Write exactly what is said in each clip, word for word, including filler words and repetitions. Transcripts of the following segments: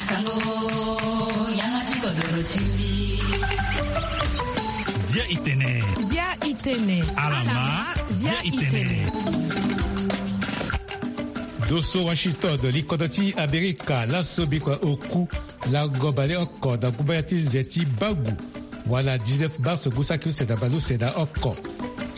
Sango, yanga ti kodoro ti mbi. Zia itene. Zia itene. Alama, zia itene. Doso Washington, likodro ti Amerika, laso bikua oku lango baleoko na gumbaya ti nze ti bangu, wala dix-neuf mars ngu saki use na baleuse na oko.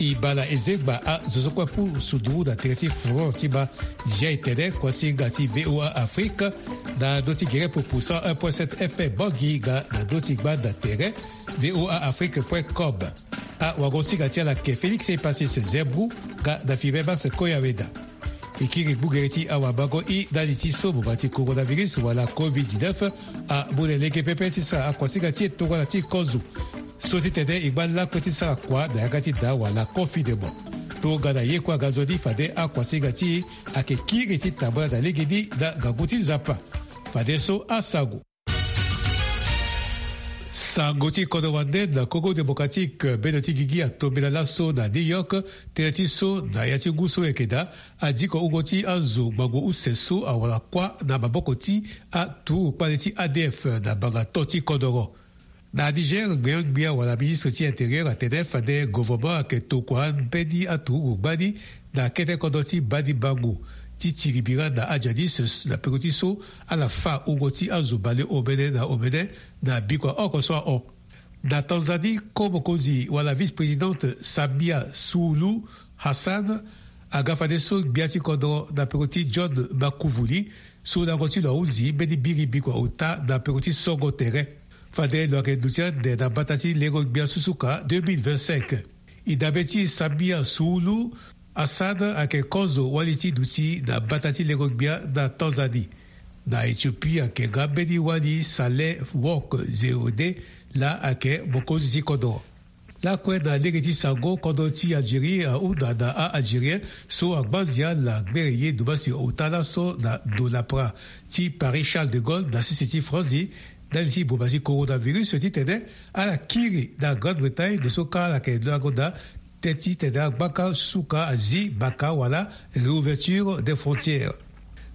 E baa na ezengba azo so kue apusu nduru na tere ti front ti ba. Zia itene, kuasinga ti V O A Afrique, na ndö ti gere pupu cent un point sept F M Bangui nga na ndö ti gbanda tere V O A Afrique point com. Awagosinga ti ala ayeke Félix Epasis Zembou nga na Fibe Max Koyaweda. E kiri gbugere ti awamango i ndali ti so boma ti coronavirus wala covid dix-neuf amu na lege pepe ti sara akuasinga ti e tongana ti e kozo. So ti tene e ngba lakue ti sara kua na yanga ti daa wala confinement. Tongana ye kue aga nzoni fade akuasinga ti e ayeke kiri ti tambula na legeni na ngangu ti Nzapa. Fadeso asango. Sango ti kodro wande na Congo Démocratique, bendo ti gigi atombela laso na New York, tënë ti so na ya ti ngu so yeke daa, adiko wungo ti azo ngbangbo use so awara kuâ na maboko ti aturugu kpale ti A D F na mbanga to ti kodoro. Na Niger, ngbia ngbia wala ministre ti intérieur atene fade gouvernement ayeke tokua mbeni aturugu gbani na kete kodro ti Bani Bango ti tiri bira na Adjadis na peko ti so ala fâ wungo ti azo bale omene na omene na bikua oko so ahon. Na Tanzanie, ko mokonzi wala vice-présidente Samia Suluhu Hassan aga fadeso gbia ti kodro na peko ti John Magufuli, so lango ti lo ahunzi mbeni biri bikua ota na peko ti songo tere. Fade lo ayeke duti ande na mbata ti lengo gbia susuka deux mille vingt-cinq. E dabe ti Samia Suluhu Hassan ayeke kozo wali ti duti na mbata ti lengo gbia na Tanzanie. Na Éthiopie ayeke nga mbeni wali Saleh Work Zewde, laa ayeke mokonzi ti kodro. Lakue na lege ti sango, kodro ti Algérie ahunda na a-Algérien so angba nzia ala gbere ye dumasi ota laso na ndo lapara ti Paris Charles de Gaulle na sese ti Franzi, ndali ti boma ti coronavirus titene ala kiri na Grande-Bretagne, ndo so kâ ala yeke lango daa teti tene agbaka suka azi baka wala réouverture des frontières.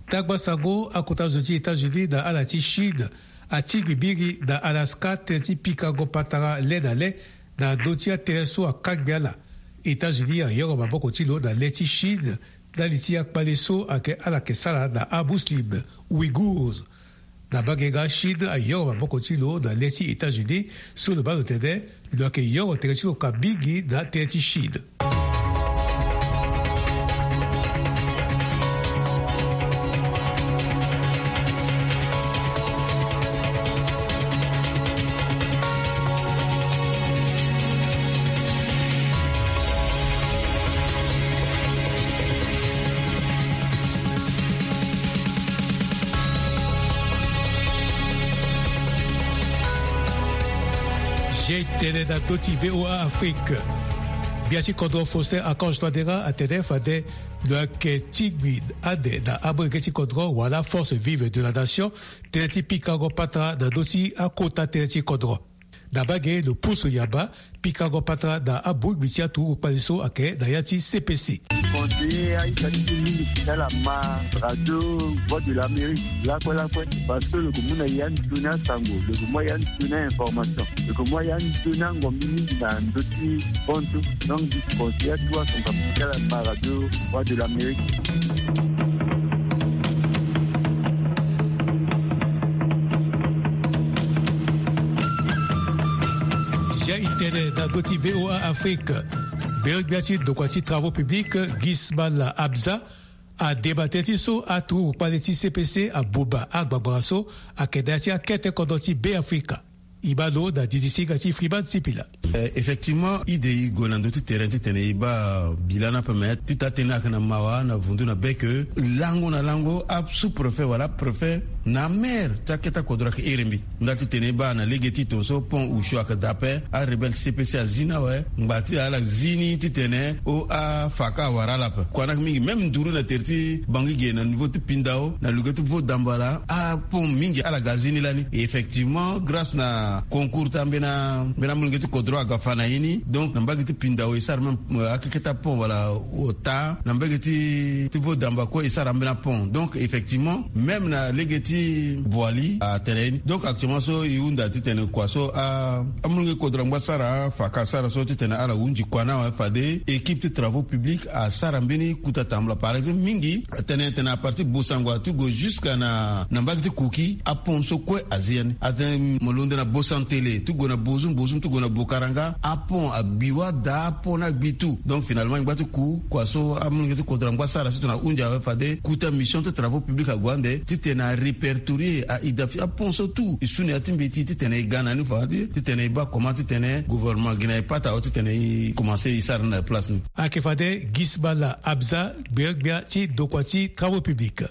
Tagba sango, akota zo ti États-Unis na ala ti Chine atingbi biri na Alaska tënë ti pikango patara le na le na ndö ti atënë so akangbi ala. États-Unis ayoro maboko ti lo na le ti Chine ndali ti akpale so ayeke ala yeke sara na amuslim Uyghurs. Na mbage nga, Chine ayoro maboko ti lo na le ti États-Unis so lo baa lo tene lo yeke yoro tere ti lo ka mingi na tënë ti Chine. Zia itene na ndö ti V O A Afrique. Gbia ti kodro Faustin Archange Touadéra atene fade lo yeke tingbi ande na amolenge ti kodro wala force vive de la nation tënë ti pikango patara na ndö ti akota tënë ti kodro. Na mbage, lo pusu yamba pikango patara na abongbi ti aturugu kpale so ayeke na ya ti C P C. Conseiller aita ti mingi ti ala ma radio Voix de l'Amérique lakue lakue, parce que lo yeke mu na ya ni sioni asango, lo yeke mu ya ni sioni information, lo yeke mu ya ni sioni angombi mingi na ndö ti hon so. Donc, conseiller atu asango ti ala ma radio Voix de l'Amérique. Zia itene na ndö ti V O A Afrique. Gbeogbia ti ndokua ti travaux publics, Gismala Abza, adema tënë ti so aturugu kpale ti C P C abomba agbangbanga so ayeke na ya ti akete kodro ti Beafrika. E ma lo na didi singa ti Freeman Sipila. Euh, effectivement, e de e gue na ndö ti terrain titene e baa bilan ni ape, me ti taa tënë ayeke na mawa na vundu na be ke lango na lango asous-préfet wala préfet Na mer ti akete akodro ayeke iri mbi. Nda titene e baa na lege ti tongaso pont Usho ayeke daa ape, arebelle ti C P C azi ni awe. Ngba ti ala zi ni titene o afaka awara ala ape. Kua ni ayeke mingi même nduru na tere ti Bangui ge na niveau ti Pindao na luge ti Vaudambala, apont mingi ala ga zi ni lani. Effectivement, grâce na concours ti ambeni ambeni amolenge ti kodro aga fa na ye ni. Donc na mbage ti Pindao e sara même, euh, akeketa pont wala ota na mbage ti ti Vaudambala kue e sara ambeni apont. Donc effectivement même na lege ti Boali atene ye ni. Donc actuellement so e hunda titene kua so a amolenge kodro angba sara afaka asara so titene ala hunzi kua ni awe fade équipe ti travaux publics asara mbeni kuta tambula. Par exemple mingi atene tene à partir Bossangoa ti go jusqu'à na na mbage ti Koki, apont so kue azi ya ni. Atene mo londo na Bossantélé ti go na Bozoum, Bozoum ti go na Bokaranga, apont agbi wala daa, apont ni agbi tout. Donc finalement e ngba ti ku kua so amolenge ti kodro angba sara si tongana ahunzi awe fade kuta mission ti travaux publics ague ande titene arépertorier, a-identifier apont so tout e su na ya ti mbeti titene e ga na ni fade titene e baa comment titene gouvernement gi na e pata awe titene e commencer e sara ni na place ni. Ayeke fade Gisbala Abza, gbia-gbia ti dokua ti travaux publics.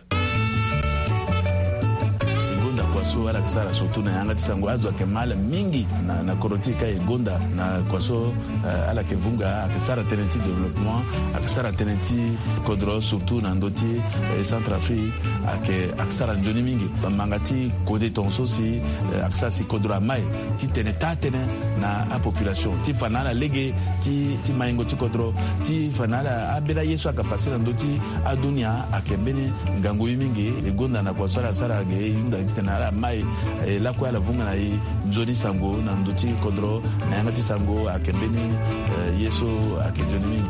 E gonda kua so ala yeke sara surtout na yanga ti sango, azo ayeke ma ala mingi na, na kodro ti e ka e gonda na kua so, eh, ala yeke vunga, ayeke sara tënë ti développement, ayeke sara tënë ti kodro surtout na ndö ti, eh, Centrafrique, ayeke, ayeke sara nzoni mingi. Manga ti kode tongaso si, eh, ayeke sara si kodro amai titene taa tënë na apopulation ti fa na ala lege ti, ti maingo ti kodro, ti fa na ala ambeni aye so ayeke pase na ndö ti adunia ayeke mbeni ngangu ye mingi. E gonda na kua so ala sara ge e hunda titene ala mai, eh, lakue ala vunga na e nzoni sango na ndö ti kodro na yanga ti sango ayeke mbeni, eh, ye so ayeke nzoni mingi.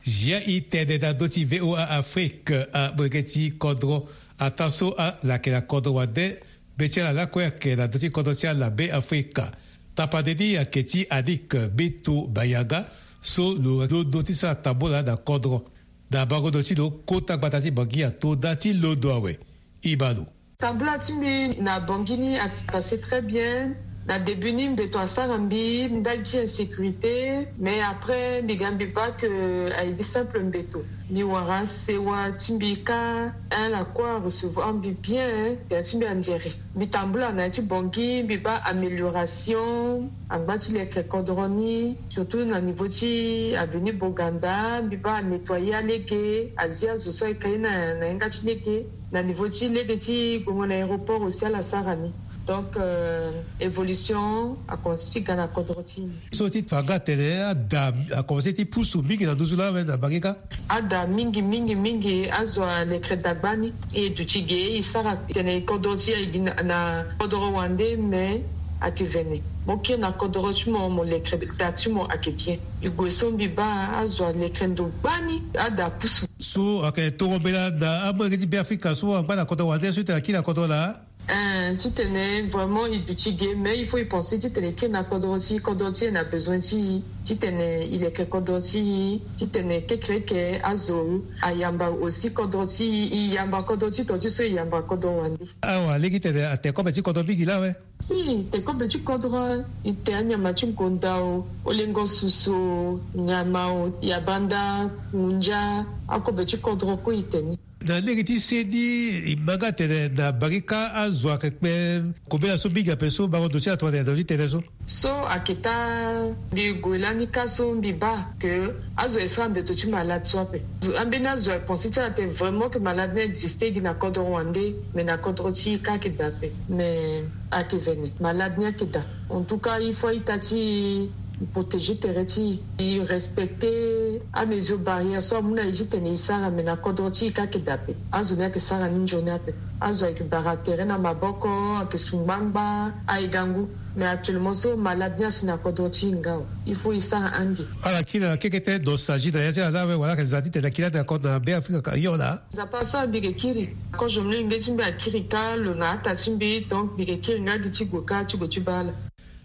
Zia e tene na ndö ti V O A Afrique, amolenge ti kodro ataa so ala yeke na kodro wande, be ti ala lakue ayeke na ndö ti kodro ti ala Be Afrika. Tapande ni ayeke ti Adik Beto Bayanga so lo londo ti sara tambula na kodro. Na bango ndo ti lo kota gbata ti Bangui ato nda ti londo awe. E ma lo. Tambula ti mbi na Bangui ni a passe très bien. Na début ni mbeto asara mbi ndali ti insécurité, mais après mbi ga mbi baa que aye gi simple mbeto. Mbi wara sewa ti mbi kâ, hein, lakue arecevoir mbi bien, hein, ya ti mbi anzere. Mbi tambula na ya ti Bangui, mbi baa amélioration angba ti leke kodro ni, surtout na niveau ti avenue Boganda, mbi baa anettoyer alege, azi azo so ayeke ye na, na yanga ti lege. Na niveau ti lege ti gongo na aéroport aussi ala sara ni. Donc, euh, évolution akomanse ti ga na kodro ti e. So ti fa nga atene ada akomanse ti pusu mingi na nduzu laa awe na Bangui kâ? Ada mingi mingi mingi, azo alekere dagba ni. E duti ge e sara titene kodro ti e aye gi na, na kodro wande, mais ayeke vene. Mo kiri na kodro ti mo, mo lekere da ti mo ayeke bien. E gue so mbi baa azo alekere ndo gbani, ada apusu. So ayeke toro mbela na amolenge ti Be Afrika so angba na kodro wande so e tene akiri na kodro laa? Eh, titene vraiment e duti ge, mais il faut e penser titene e kiri na kodro ti e, kodro ti e na besoin ti e, titene e leke kodro ti e, titene kekereke azo ayamba aussi kodro ti e, e yamba kodro ti e tonga ti so e yamba kodro wande. Awa lege titene atene kobe ti kodro mingi laa awe. Si, tene kobe ti kodro, e tene anyama ti ngonda o, olengo susu o, nyama o, yabanda, ngunza, akobe ti kodro kue e tene. Na lege ti se ni, e ma nga atene na Bangui kâ azo ayeke kpe kobela so mingi ape so bango ndo ti ala tongana na ndo ti tënë so. So ayeke taa mbi gue lani kâ so mbi baa que azo e sara mbeto ti malade so ape. Ambeni azo aye pense ti ala atene vraiment que malade ni existe gi na kodro wande, mais na kodro ti e kâ ayeke daa ape. Mais ayeke vene, malade ni ayeke daa. En tout cas il faut a-ita ti e protéger tere ti e, e respecter amesure barrière so amu na e titene e sara, mais na kodro ti e kâ ayeke daa ape. Azo ni ayeke sara ni nzoni ape. Azo ayeke bara tere na maboko, ayeke su ngbangba, aye ga ngu. Mais actuellement so malade ni asi na kodro ti e nga awe. Il faut e sara ange. Ala kiri na kekete nostalgie na ya ti ala laa awe, wala ayeke za titene akiri ande na kodro na Be Afrika ka hio laa? Nzapa asara mbi yeke kiri. Kozo mlenge ti mbi akiri kâ lo na ata ti mbi, donc mbi yeke kiri nga gi ti gue kâ ti gue ti baa ala.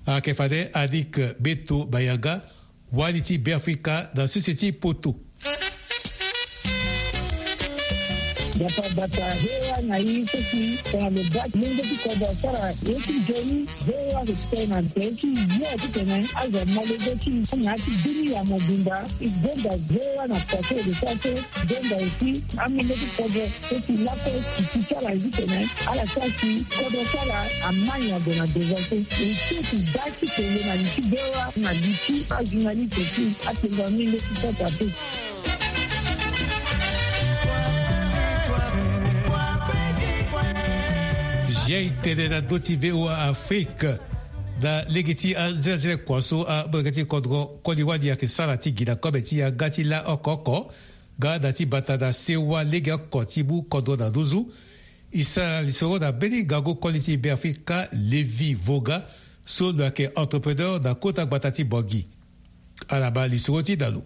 Ayeke fade Adik Beto Bayanga, wali ti Be Afrika na sese ti poto. Gbata gbata V O A na i so si tongana lo baa ti lenge ti kodro asara ye ti nzoni, V O A ayeke tene na tere ti yo titene azo amolenge ti i na ya ti bini ya mobimba. I gonda V O A na poto e de so aso, i gonda aussi amolenge ti kodro so si lakue ti ti ti ala ye titene ala sara si kodro ti ala amani ado na devance. E so ti baa ti kele na li ti V O A na li ti ajournaliste ti atengua mingi ti kota te. Zia e tene na ndö ti V O A Afrique. Na lege ti anzelazela kua so amolenge ti kodro koli wali ayeke sara ti gi na kobe ti yanga ti la oko oko, nga na ti bata na sewa lege oko ti mu kodro na nduzu. E sara lisoro na mbeni ngangu koli ti Beafrika Lévi Voga, so lo yeke entrepreneur na kota gbata ti Bangui. Ala baa lisoro ti da lo.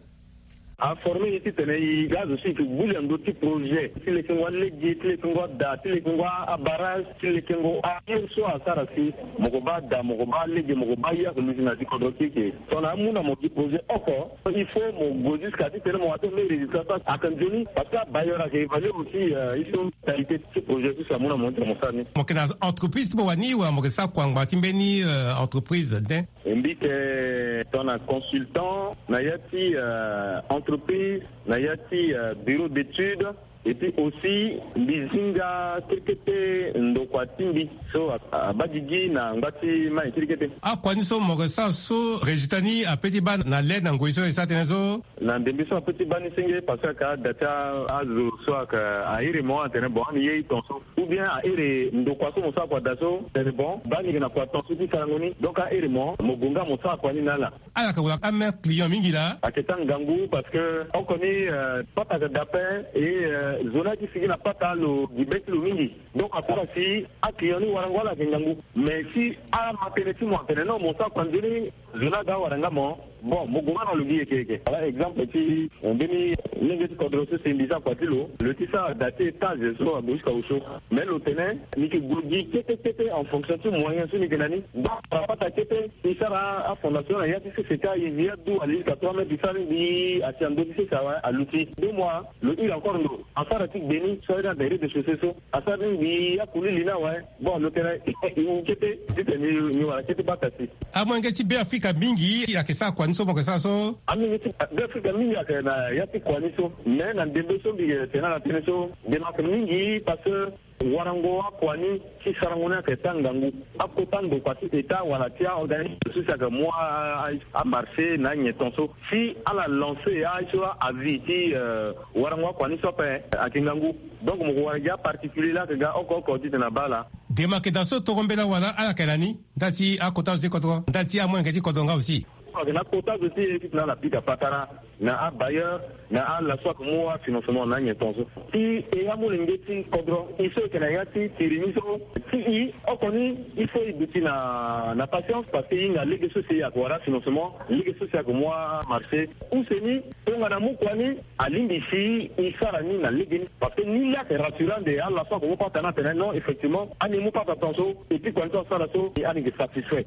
Aforme ye titene e ga azo so e yeke gbu li na ndö ti projet ti lekengo alege, ti lekengo ada, ti lekengo abarrage, ti lekengo aye so asara si mo ko baa ada, mo ko baa lege, mo ko baa ye ake luti na ya ti kodro ti e ke. Tongana amu na mo gi projet oko, il faut mo gue jusqu'à titene mo wara ti mo résultat so ayeke nzoni, parce que abailleur ayeke évaluer aussi, euh, ye so qualité ti projet so si amu na mo ti mo sara ni. Mo yeke na entreprise ti mo wani wala mo yeke sara kua ngbanga ti mbeni, euh, entreprise nden? Mbi yeke tongana consultant na ya ti, euh, entreprise, na ya ti, euh, bureau d'étude, et puis aussi mbi zi nga kete kete ndokua ti mbi so a, abaa gigi na ngba ti mai kete kete. Akua ni so mo yeke sara so résultat ni ape ti baa na le na ngoi so e sara tënë so? Na ndembe so ape ti baa ni senge parce que ayeke ada ti azo so ayeke airi mo atene bon ani ye i ton so. Ou bien airi ndokua so mo sara kua daa so, tene bon, baa ni yeke na kua ton so ti sarango ni. Donc airi mo, mo gue nga mo sara kua ni na ala. Ala yeke wara amere client mingi laa. Ayeke taa ngangu parce que oko ni, euh, pata ayeke daa ape, et, euh, zo ni ayeke sigi na pata lo gi be ti lo mingi. Donc asara si aclient ni warango ala ayeke ngangu. Mais si ama tënë ti mo atene non mo sara kua nzoni, zo ni aga awara nga mo. Bon, mo gue nga na lo gi yeke yeke. Wala exemple ti, eh, mbeni lenge ti kodro so si mbi sara kua ti lo, lo ti sara da ti étage so ague jusqu'à osio. Mais lo tene ni yeke gue gi kete kete en fonction ti moyen so ni yeke na ni. Donc na pata kete e sara afondation na ya ti sese ti aye, aduti ali jusqu'à trois mètres, e sara ni mbi asi na ndö ti sese awe aluti. Deux mois lo hile encore ndo asara ti gbe ni so aye ni ada rez-de-chaussée so asara ni mbi akuli li ni awe. Bon lo tene e wu kete titene ni wara kete bata si. Amolenge ti Beafrika mingi ayeke sara kua ni so mo yeke sara so? Amolenge ti Beafrika mingi ayeke na ya ti kua ni so. Mais na ndembe so mbi yeke tene ala tënë so, demarque mingi parce que warango akua ni ti sarango ni ayeke taa ngangu. Akota ndokua ti état wala ti aorganisme so si ayeke mu a, a, amarché na anyen ton so si ala lancer aye so a, avis ti, euh, warango akua ni so ape ayeke ngangu. Donc mo ko wara gi aparticulier laa ayeke ga oko oko titene abaa ala. Demarque daa so toro mbela wala ala yeke na ni? Nda ti akota zo ti kodro, nda ti amolenge ti kodro nga aussi. Ayeke na akota zo ti e titene ala pika patara na abailleur, na ala so ayeke mu afinancement na anyen ton so. Si e amolenge ti kodro, e so e yeke na ya ti tiri ni so, si e oko ni, il faut e duti na, na patience parce que e hinga lege so si e yeke wara afinancement, lege so si e yeke mu amarché. Use ni, tongana amu kua ni, alingbi si e sara ni na legeni. Parce que ni laa ayeke rassurant nde ala so ayeke mu pata ni atene non, effectivement ani mu pata ton so, et puis kua ni so asara so, e ani yeke satisfait.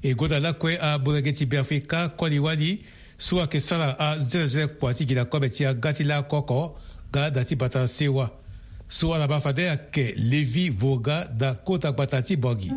E gonda lakue amolenge ti Beafrika koli wali so ayeke sara anzelazela kua ti gi na kobe ti yanga ti laoko oko nga na ti bata sewa. So ala baa fade ayeke Lévi Voga na kota gbata ti Bangui.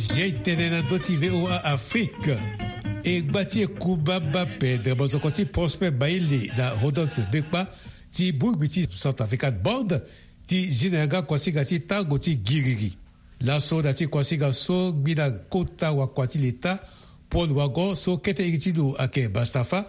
Zia e tene na ndö ti V O A Afrique. E gba ti e kuma mba pendre mozoko ti Prosper Baile na Rodolphe Bekpa ti bongbi ti Centrafrican Band ti zi na yanga kuasinga ti tango ti giriri. Laso na ti kuasinga so ngbi na kota wakua ti leta Paul Wago so kete iri ti lo ayeke Bastafa,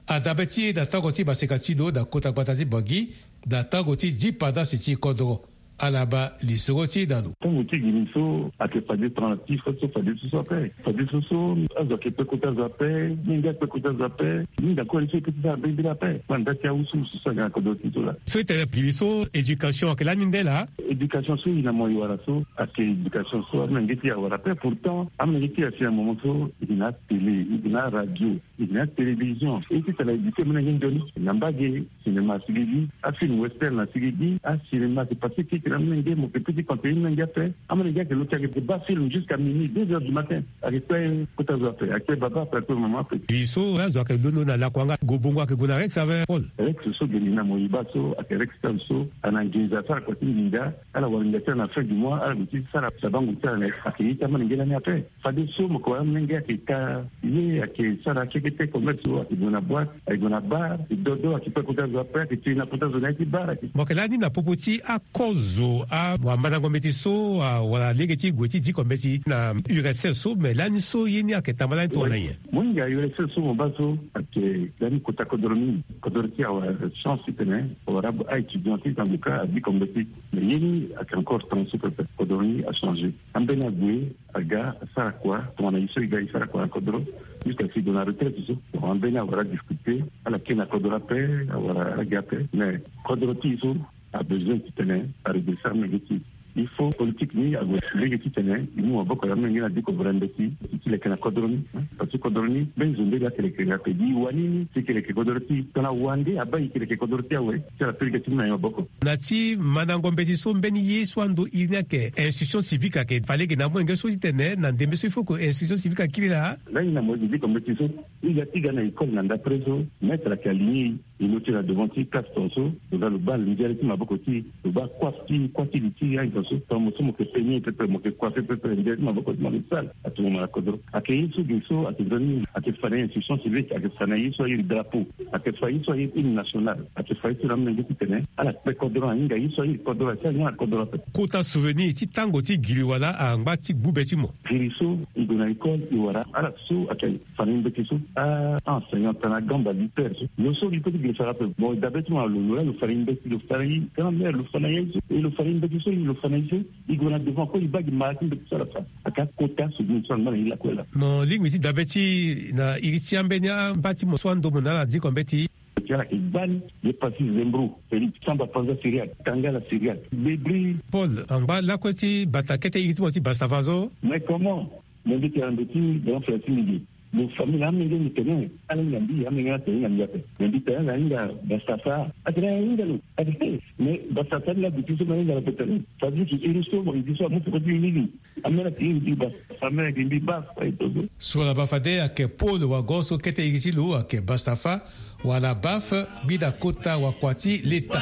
adabe ti e na tango ti maseka ti lo na kota gbata ti Bangui, na tango ti dipandasi ti kodro. Ala baa lisoro ti e na lo. Tango ti gini so ayeke fade tongana ti fade so, fade so so ape. Fade so so azo ayeke kpe kota zo ape. Menge akpe kota zo ape. Mingi akue so e kete ti ala mbirimbiri ape. Kua nda ti awusu so so ayeke na kodro ti so laa. So e tene gini so éducation ayeke lani nde laa. Éducation so e na mo e wara so ayeke éducation so amenge ti e awara ape. Pourtant amenge ti e asi na moment so e yeke na atélé, e yeke na aradio, e yeke na atélévision. E ti tene éduquer amolenge nzoni na mbage. Cinéma asigi gi, afilm western asigi gi, acinéma ayeke passé keke na amolenge, mo yeke peut ti conseiller amolenge ape. Amolenge ayeke lo ti ayeke baa film jusqu'à minuit, deux heures du matin. Ayeke kpe kota zo ape, ayeke kpe baba ape, ayeke kpe mama ape. Gini so azo ayeke londo na lakua nga, gue bongo ayeke gue na Rex ape, Paul? Rex so geni na mo e baa so ayeke Rex Town so, ana nginza asara kua ti nginza. Ala wara nginza ti ala na fin du mois, ala gue ti sara sabango ti ala na ayeke ye ti amolenge lani ape. Fadeso mo yeke wara amolenge ayeke ka ye, ayeke sara kekete commerce so, ayeke gue na boîte, ayeke gue na bar, ayeke dodo, ayeke kpe kota zo ape, ayeke tiri na kota zo na ya ti bar, ayeke. Mo yeke lani na popo ti akozo, awamandango mbeti so, a, wala lege ti gue ti diko mbeti na U R S S so, me lani so ye ni ayeke tamba lani tongana nyen? Mo hinga U R S S so mo baa so ayeke lani kota kodro mingi. Kodro ti e awara chance titene favorable a-étudiant ti Sangoka adiko mbeti. Me ye ni ayeke encore temps so pepe, kodro ni achangé. Ambeni ague aga asara kua tongana ye so e ga e sara kua na kodro. Jusqu'à si e gue na retraite so, bon, ambeni awara difficulté, ala kiri na kodro ape, awara ala gi ape. Mais kodro ti e so abesoin titene aredresser amolenge ti e. Il faut politique ni ague lege titene e mu maboko na amolenge ni adiko vere mbeti ti leke na kodro ni. Parce que kodro ni mbeni zo nde la kelekele ape. Gi e wani ni si e keleke kodro ti e, tongana wande abaa e keleke kodro ti e awe, ti ala peleke ti mu na e maboko. Na ti mandango mbeti so mbeni ye so ando iri ni ayeke institution civique ayeke fa lege na amolenge so titene na ndembe so il faut que institution civique akiri laa. Lani na mo yeke diko mbeti so, e ga ti ga na école na ndapre so, maître ayeke aligné e, e lo ti na devant ti classe tonga so, lo ga lo baa nzere ti maboko ti e, lo baa kua ti kua ti li ti e ayen tonga so, tongana mo so mo yeke peigné pepe, mo yeke coiffé pepe, nzere ti maboko ti mo ayeke sale, atomo mo na kodro. Ayeke ye so ge so ayeke nzoni, ayeke fa na e institution civique, ayeke fa na e ye so ayeke drapeau, ayeke fa ye so ayeke hymne national, ayeke fa ye so na amolenge titene ala kpe kodro, ahinga ye so ayeke kodro, asi ahinga na kodro ape. Kota souvenir ti tango ti giri wala angba ti gbu be ti mo? Giri so e gue na école e wara ala so ayeke fa na e mbeti so, a, a enseignant tana gamba liter so. Lo so li peut ti giri sara ape. Bon, dabe ti mo na lo, lo la lo fa na e mbeti, lo fa na e grand-mère, lo fa na e so, e lo fa na e mbeti so, e lo fa na e so. E gue na devant kue, e baa gi mara ti mbeti so ala fa. Ayeke akota souvenir so angba na e lakue laa. Mo lingbi ti dabe ti e na iri ti ambeni amba ti mo so ando mo na ala diko mbeti. Ti ala yeke gbani, ye pasi Zembro, Félix, Samba Panza Syriaque, Tangala Syriaque, Bebri. Paul, angba lakue ti bata kete iri ti mo ti Bastafa so. Mais comment? Mo mbi tene na ndo ti Grand Frère ti mbi ge. Lo famille amenge mbi tene, ala hinga mbi, amenge atene hinga mbi ape. Mais mbi tene ala hinga Bastafa. Atene ala hinga lo. Atene, mais Bastafa ni la duti so mo hinga lo ape tene. Ça veut dire que iri so mo iri so amu peko ti iri ni. Amene ayeke iri ti Bastafa, amene ayeke mbi Bastafa e dodo. So ala baa fade ayeke Paul Wago so kete iri ti lo ayeke Bastafa, wala Baf, gbi na kota wakua ti leta.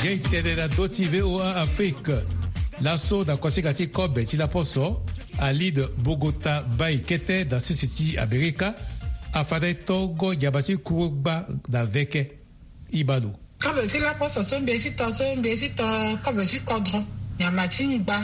Ye e tene na ndö ti V O A Afrique. Laso na kuasinga ti kobe ti laposo, Alide Bogota Mbaye kete na sese ti Amerika afa na e tongo nyama ti kuru gba na veke. E baa lo. Kobe ti laposo so mbi ye ti to so mbi ye ti to kobe ti kodro. Nyama ti ngba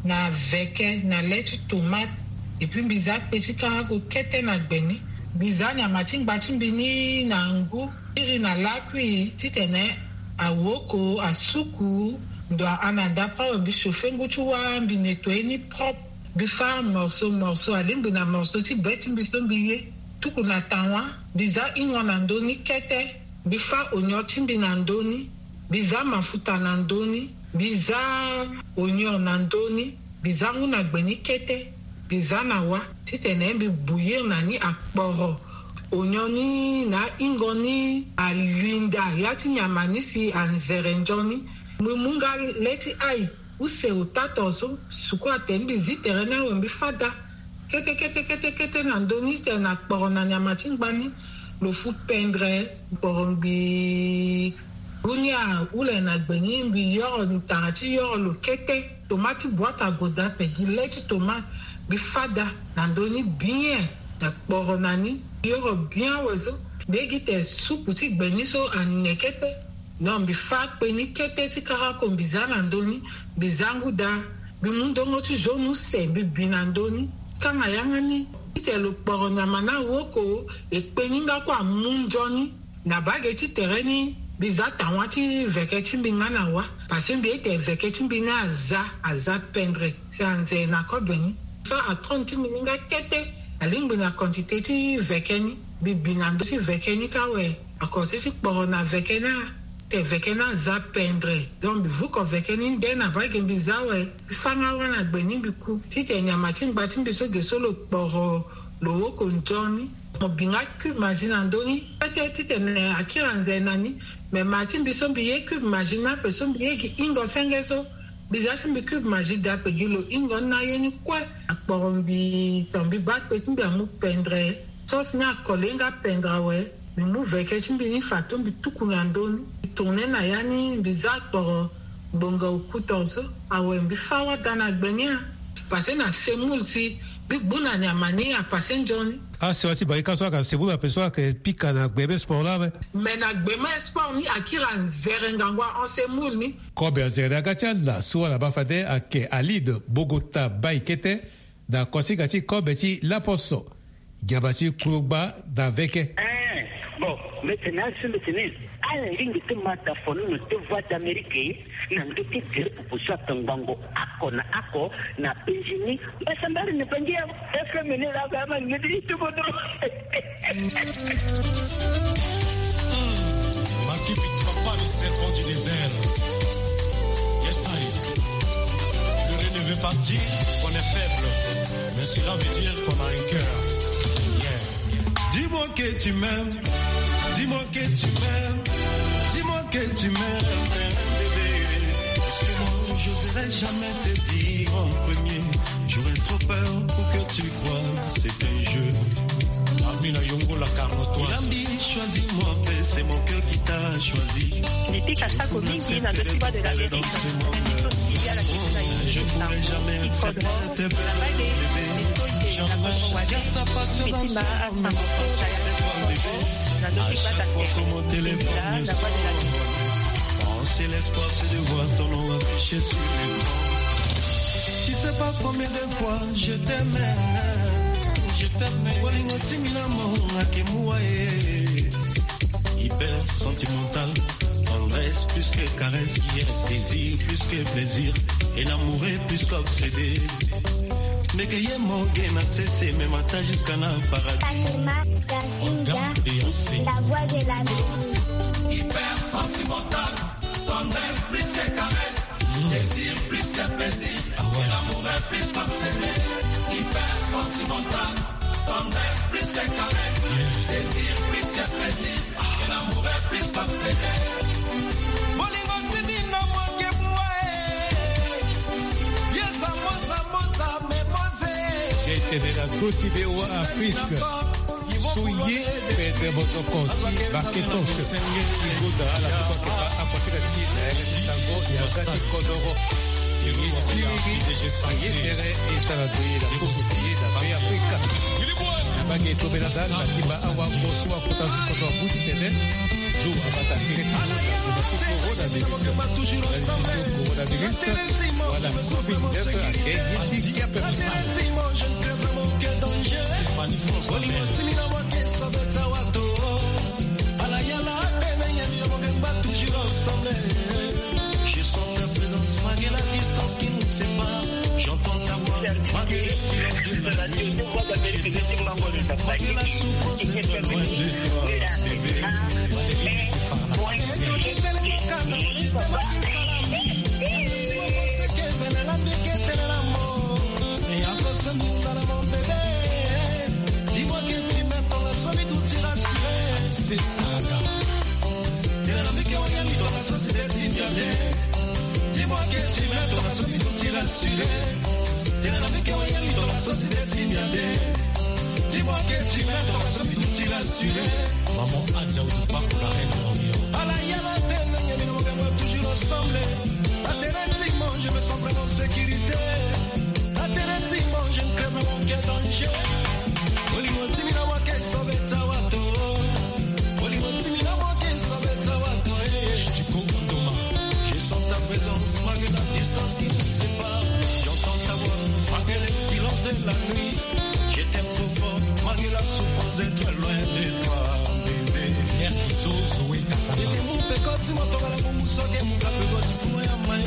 na veke na le ti tomate. Epui mbi za kpe ti karago kete na gbe ni. Mbi za nyama ti ngba ti mbi ni na ngu, iri na lakui titene awoko, asuku, ndo ahana dapa awe. Mbi chauffer ngu ti wâ, mbi nettoyer ni propre. Mbi fâ morceau morceau, alingbi na morceau ti be ti mbi so mbi ye. Tuku na tawa, mbi za ingo na ndö ni kete. Mbi fâ onyon ti mbi na ndö ni. Mbi za mafuta na ndö ni. Mbi za onion na ndö ni, mbi za ngu na gbe ni kete, mbi za na wa titene mbi bouillir na ni akporo onion ni na ahingo ni alinda ya ti nyama ni si anzere nzoni. Mbi mu nga le ti ail use ota tongaso, suku atene mbi zi tere ni awe mbi fâ daa. Kete kete kete kete na ndö ni titene akporo na nyama ti ngbani lo fu pendre. Kporo mbi gu ni ahule na gbe ni, mbi yoro, tara ti yoro lo kete. Tomate ti boite ague daa, pe gi le ti tomate. Mbi fâ daa na ndö ni bien, na kporo na ni, mbi yoro bien awe so. Mbi ye gi tene supu ti gbe ni so ane kete. Non, mbi fâ akpe ni kete ti karako mbi za na ndö ni, mbi za ngu daa. Mbi mu ndongo ti jaune use mbi bi na ndö ni. Kanga yanga ni titene lo kporo nyama ni awoko, e kpe ni nga kue amu nzoni. Na bage ti tere ni, mbi za tawa ti veke ti mbi nga na wa. Parce que mbi ye tene veke ti mbi ni aza, aza pendre. Si anze na kobe ni. Fâ atone ti mbi ni nga kete. Alingbi na quantité ti veke ni. Mbi bi na ndö ti veke ni kâ awe. Akosi ti kporo na veke ni a, tene veke ni aza pendre. Donc mbi vuko veke ni nde na bage mbi za awe. Mbi fâ nga wa na gbe ni mbi ku. Titene nyama ti ngba ti mbi so ge so lo kporo, lo woko nzoni. Mo bi nga cube Maggi na ndö ni. Kete titene akiri anze na ni. Me ma ti mbi so mbi ye cube Maggi ni ape so mbi ye gi hingo senge so. Mbi za ti mbi cube Maggi daa, pe gi lo hingo ni na ye ni kue. Akporo mbi, to mbi baa akpe ti mbi amu pendre. Sauce ni akole nga pendre awe. Mbi mu veke ti mbi ni fato mbi tuku na ndö ni. Mbi tourne na ya ni, mbi za akporo ngbonga oku tongaso. Awe mbi fâ wa daa na gbe ni a. Parce que na semoule si mbi gbu na nyama ni apasse nzoni. Asewa ti barika so ayeke semoule ape so ayeke pika na gbe be sport laa ape. Me na gbe ma sport ni akiri anzere ngangu ahon semoule ni. Kobe anzere na ya ga ti ala so ala baa fade ayeke Alide Bogota Baï kete. Na kosinga ti kobe ti laposo, nyama ti kulogba na veke. Eh, bon, mbi tene asi mbi tene, ala lingbi ti ma da fonono ti Voix d'Amérique na ndö ti diri pupu so atongbango oko na oko na penzi ni. Mbasambari na bangi ya F M ni la ga ma ngedi ti bodro. Makipi, papa, le serpent du désert. Yes, I. Le rêve ne veut pas dire qu'on est faible, mais cela veut dire qu'on a un cœur. Yeah. Dis-moi que tu m'aimes, dis-moi que tu m'aimes, dis-moi que tu m'aimes, bébé. Parce que moi, j'oserais jamais te dire en premier. J'aurais trop peur pour que tu crois c'est un jeu. Amina Yongo, la Carnotoise. Nambi, choisis-moi, c'est mon cœur qui t'a choisi. Niti kasako mingi na ndö ti Voix de l'Amérique. Je pourrais jamais accepter de perdre, bébé. Jamais. Garde sa passion dans son cœur, c'est toi, bébé. À chaque fois que mon téléphone sonne, c'est l'espoir, c'est de voir ton nom affiché sur l'écran. Tu sais pas combien de fois je t'aime, je t'aime. Bolingo ti mina mo ake mua e. Hyper sentimental, tendresse plus que caresse, yes. Désir plus que plaisir, et l'amour est plus qu'obsédé. Ndeke ye mo ge na sese, me mata jusqu'à na paradis. Kalima Kazinga, la voix de la mer. Hyper sentimental, tendresse plus que caresse, désir plus que plaisir, et l'amour est plus qu'obsédé. Hyper sentimental, tendresse plus que caresse, désir plus que plaisir, et l'amour est plus qu'obsédé. Bolingo ti mina mo ake mua e. Yeza moza moza me moze. Tene na koti V O A Afrique. So ye pete mozoko ti Baketos. Ti goda ala so ayeke baa akoteka ti na yanga ti sango yanga ti kodoro. Ye siriri, ye tere, e sara ndo ye na koko ti ye na Be Afrika. Na bage tobela da na ti baa awa mo so akota zo kozo abuti tene. Zo abata kiri ti zo na koko coronavirus. Malediction coronavirus. Wala covid neuf ake ye ti kia pe mo sara. Stéphanie François. Je sens ta présence malgré la distance qui nous sépare. J'entends ta voix malgré le silence de la nuit. Je t'aime malgré la souffrance d'être loin de toi, bébé. Malgré les défis, la vie, c'est la vie. Dis-moi que tu m'aimes, ton rasoir mi duti rassuré. C'est ça. Tene na mbi ke wayemi, ton rasoir si de ti mbi ade. Dis-moi que tu m'aimes, ton rasoir mi duti rassuré. Tene na mbi ke wayemi, ton rasoir si de ti mbi ade. Dis-moi que tu m'aimes, ton rasoir mi duti rassuré. Maman Adia Oudoupa pour la reine de l'Orient. Ala yaba tene, nyemi na mo, toujours ensemble. Atene ti mo, je me sens vraiment en sécurité. Atene ti mo, je ne crains vraiment aucun danger. Bolingo ti mbi na mwa ke sauver ti awato. Bolingo ti mbi na mwa ke sauver ti awato, eh. Chitico Ondoma. Je sens ta présence malgré la distance qui nous sépare. J'entends ta voix malgré les silences de la nuit. Je t'aime trop fort malgré la souffrance d'être loin de toi, bébé. Mère Izo, Zoé Kasama. Ete mu peko ti mo tongana bongo soke mu ka peko ti fumo ya mai.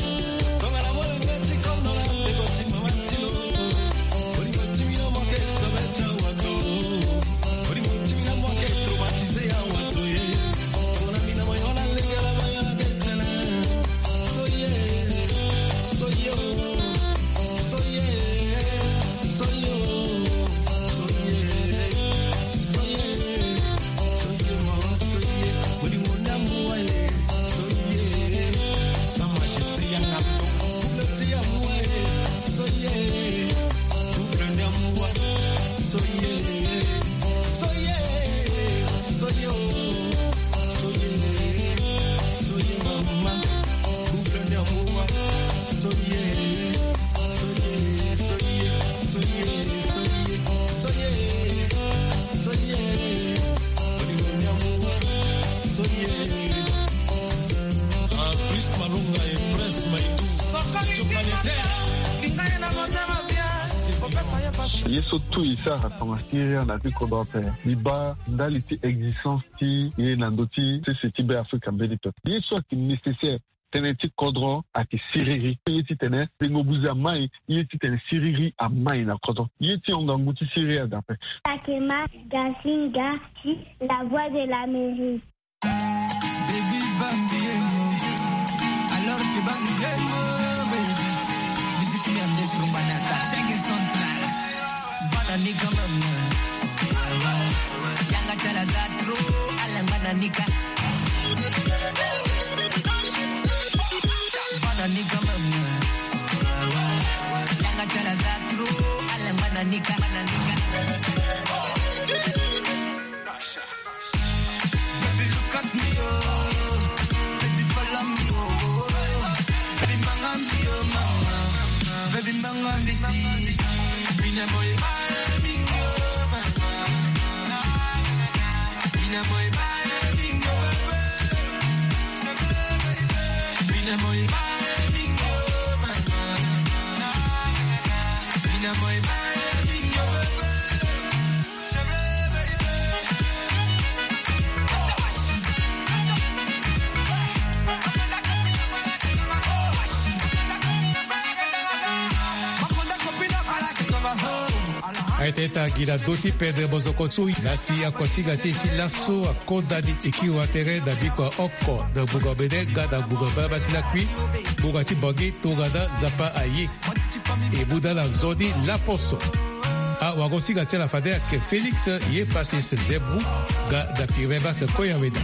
Tongana molenge ti kondo na peko ti mama ti lo. Bolingo ti mbi na mwa ke sauver ti awato. Bolingo ti mbi na mwa ke traumatiser awato, eh. Tongana mbi na mo yo na lege la ba yo na ke tene. So ye, so yo, so ye, so yo, so ye, so ye, so ye, ma, so ye. Bolingo ni amour, eh, so ye. Sa Majesté Yanga. Couple ti amour, eh, so ye. Couple ni amour, so ye. So ye, so yo, so ye, so ye, mama. Couple ni amour, so ye, so ye, so ye, so ye, so ye, so ye, so ye. Bolingo ni amour, so ye. Ah, Prince Malonga et Prince Maïdou. Studio Planétaire. Ye so tout e sara tongana Syria na ti kodro ape. Mbi baa ndali ti existence ti ye na ndö ti sese ti Be Afrika mbeni pepe. Ye so ayeke nécessaire, tënë ti kodro ayeke siriri. Ye titene tengo buze amai, ye titene siriri amai na kodro. Ye ti hon ngangu ti siriri ada ape. Takema Gazinga, ti La Voix de l'Amérique. Baby Bambi Emo, alors que Bambi Emo, baby. Musique merde sur Manata, chaque central. Bana ni quand même. Yanga chala za trop, ala bana ni ka. Bana ni quand même. Yanga chala za trop, ala bana ni ka, bana ni ka. Baby, look at me, oh. Baby, follow me, oh. Baby, manga me, oh, mama. Baby, manga me, see. Mina boy, my amigo, mama. Mina boy, my amigo, baby. Mina boy, my amigo, mama. Mina boy, my amigo, baby. Aye tene ita gi na do ti pendre mozoko so na si akosiga ti e ti laso akonda ni e kiri wa tere na biko ya oko na ngbonga mene nga na ngbonga mbala basi lakui ngbonga ti Bangui tongana Nzapa aye. E mu na ala nzoni laposo. Awagosinga ti ala fade ayeke Félix ye Pacis Zembu nga na Firmin Basse Koyawena.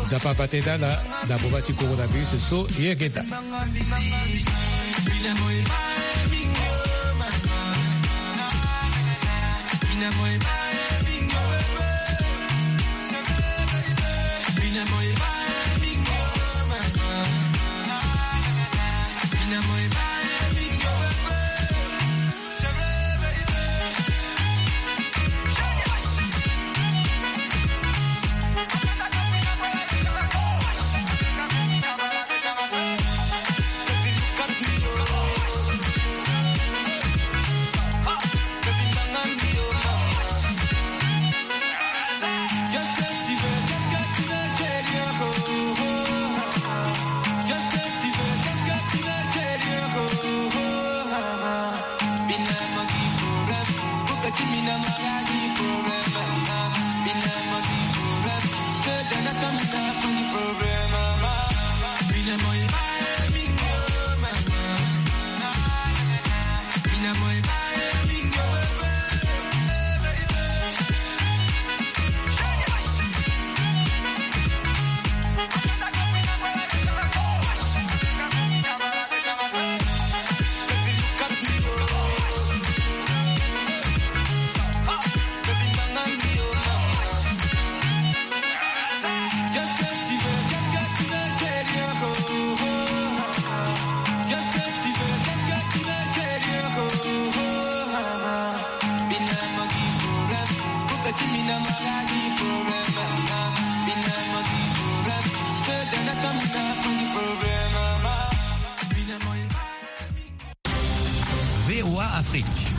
Nzapa abate na ala na boma ti coronavirus so ye yeke daa. V O A Afrique, le